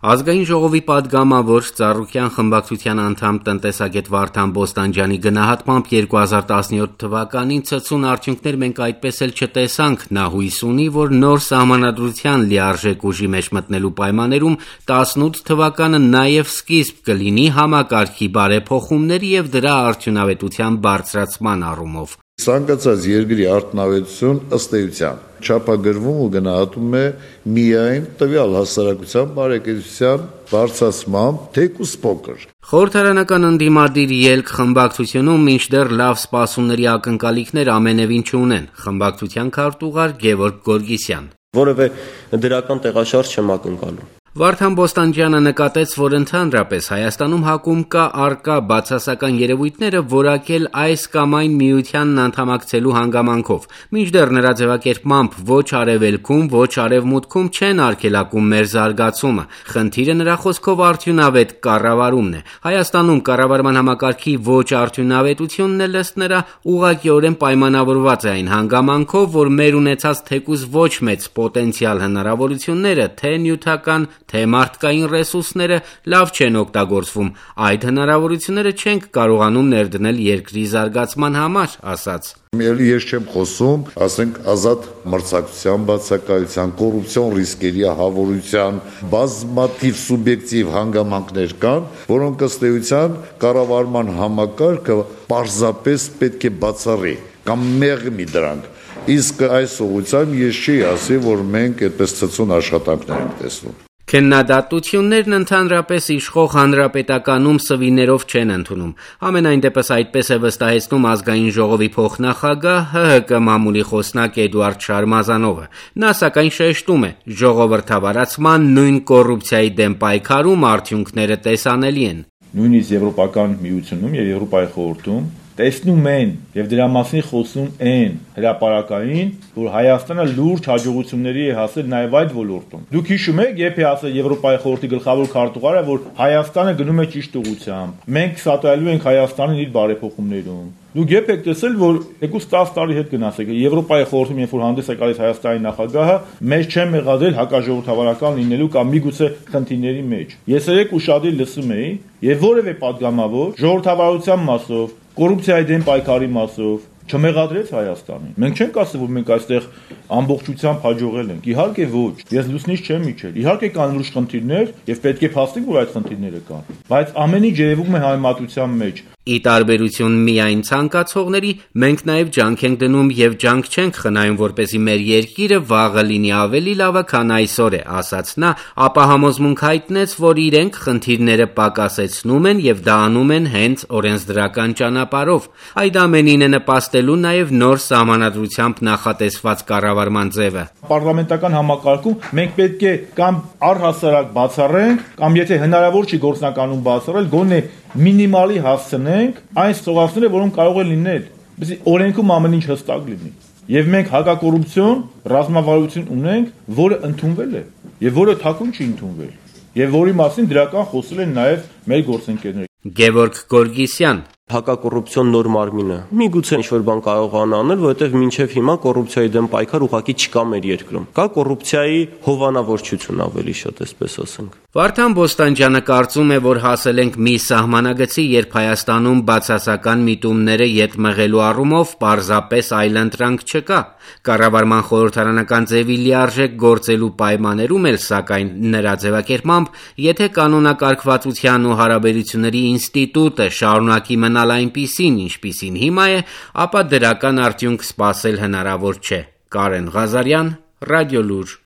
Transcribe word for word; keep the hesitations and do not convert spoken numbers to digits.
Ազգային ժողովի պատգամավոր Ծառուկյան խմբակցության անդամ տնտեսագետ Վարդան Բոստանջյանի գնահատմամբ երկու հազար տասնյոթ թվականին ցցուն արդյունքներ մենք այդպես էլ չտեսանք, նա հույս ունի, որ նոր սահմանադրության լիարժեք ուժի մեջ մտնելու պայմաններում տասնութ թվականը նաև սկիզբ կլինի համակարգի բարեփոխումների եւ դրա արդյունավետության բարձրացման առումով։ Ցանկացած երկրի արդյունավետություն ըստ էության չափագրվում ու գնահատում է միայն տվյալ հասարակության բարեկեցության բարձրացմամբ, թեկուզ փոքր։ Խորհրդարանական ընդդիմադիր ելք խմբակցությունում մինչդեռ լավ սպասումների ակնկալիքներ ամենևին չունեն։ Խմբակցության քարտուղար Գևորգ Գորգիսյան։ Որևէ դրական տեղաշարժ չեմ ակնկալում։ Վարդան Բոստանջյանը նկատեց, որ ընդհանրապես Հայաստանում հակում կա առկա բացասական երևույթները որակել այս կամ այն միությանն անդամակցելու հանգամանքով, մինչդեռ նրա ձևակերպմամբ ոչ արևելքում, ոչ արևմուտքում չեն արգելակում մեր զարգացումը, խնդիրը նրա խոսքով արդյունավետ կառավարումն է։ Հայաստանում կառավարման համակարգի ոչ արդյունավետությունն էլ ըստ նրա ուղղակիորեն պայմանավորված է այն հանգամանքով, որ մեր ունեցած թեկուզ ոչ մեծ պոտենցիալ հնարավորությունները, թե նյութական թե մարդկային ռեսուրսները լավ չեն օգտագործվում, այդ հնարավորությունները չենք կարողանում ներդնել երկրի զարգացման համար, ասաց։ Էլի ես չեմ խոսում, ասենք ազատ մրցակցության բացակայության, կոռուպցիոն ռիսկերի ահավորության, բազմաթիվ սուբյեկտիվ հանգամանքներ կան, որոնք ըստ էության կառավարման համակարգը պարզապես պետք է բացառի կամ մեղմի դրանք։ Իսկ այս ուղղությամբ ես չի ասի, որ մենք այդպես ցցուն աշխատանքներ ենք տեսնում։ Քննադատություններն ընդհանրապես իշխող հանրապետականում սվիներով չեն ընդունում։ Ամենայն դեպս այդպես է վստահեցնում ազգային ժողովի փոխնախագահ Հ Հ Կ մամուլի խոսնակ Էդուարդ Շարմազանովը։ Նա սակայն շեշտում է, ժողովրդավարացման նույն կոռուպցիայի դեմ պայքարում արդյունքները տեսանելի են։ Նույնիսկ Եվրոպական միությունում եւ Եվրոպայի խորհրդում տեսնում են եւ դրա մասին խոսում են հրապարակային, որ Հայաստանը լուրջ հաջողությունների է հասել նաեւ այդ ոլորտում։ Դուք հիշում եք, երբ է ասել Եվրոպայի խորհրդի գլխավոր քարտուղարը, որ Հայաստանը գնում է ճիշտ ուղղությամբ։ Մենք սատարելու ենք Հայաստանին իր բարեփոխումներում։ Դուք երբ եք տեսել, որ երկուսից տասը տարի հետ գնացեք, Եվրոպայի խորհրդում երբ որ հանդես է գալիս Հայաստանի նախագահը, մեզ չեն մեղադրել հակաժողովրդավարական լինելու կամ միգուցե խնդիրների մեջ։ Ես երեք ուշադիր լսում էի եւ որևէ падգամավոր ժողովրդավարության մասով, կոռուպցիայի դեմ պայքարի մասով չմեղադրեց Հայաստանին։ Մենք չենք ասել, որ մենք այստեղ ամբողջությամբ հաջողել ենք։ Իհարկե ոչ։ Ես լուսնից չեմ իջել։ Իհարկե կան լուրջ խնդիրներ եւ պետք է փաստենք, որ այդ խնդիրները կան։ Բայց ամեն ինչ երևում է համեմատության մեջ։ Ի տարբերություն միայն ցանկացողների, մենք նաև ջանք ենք դնում եւ ջանք չենք խնայում, որպեսզի մեր երկիրը վաղը լինի ավելի լավը, քան այսօր է, ասաց նա, ապա համոզմունք հայտնեց, որ իրենք խնդիրները պակասեցնում են եւ դա անում են հենց օրենսդրական ճանապարհով։ Այդ ամենին է նպաստելու նաև նոր սահմանադրությամբ նախատեսված կառավարման ձևը։ Պարլամենտական համակարգում մենք պետք է կամ առհասարակ բացառենք, կամ եթե հնարավոր չի գործնականում բացառել, գոնե մինիմալի հասցնենք այն ստորացները, որոնք կարող են լինել, բացի օրենքում ամեն ինչ հստակ լինի։ Եվ մենք հակակոռուպցիոն ռազմավարություն ունենք, որը ընդունվել է եւ որը թաքուն չի ընդունվել։ Եվ որի մասին դրական խոսել են նաեւ մեր գործընկերները։ Գևորգ Գորգիսյան հակակոռուպցիոն նոր մարմինը միգուցե ինչ-որ բան կարողանա անել, որովհետև մինչև հիմա կոռուպցիայի դեմ պայքար ուղղակի չկա մեր երկրում։ Կա կոռուպցիայի հովանավորչություն ավելի շատ, այսպես ասենք։ Վարդան Բոստանջյանը կարծում է, որ հասել ենք մի սահմանագծի, երբ Հայաստանում բացասական միտումները ետ մղելու առումով պարզապես այլընտրանք չկա։ Կառավարման խորհրդարանական ձևի լիարժեք գործելու պայմաններում էլ, սակայն, նրա ձևակերպմամբ, եթե կանոնակարգվածության ու հարաբերությունների ինստիտուտը շարունակի մնալ այնպիսին, ինչպիսին հիմա է, ապա դրական արդյունք սպասել հնարավոր չէ։ Կարեն Ղազարյան, Ռադիոլուր։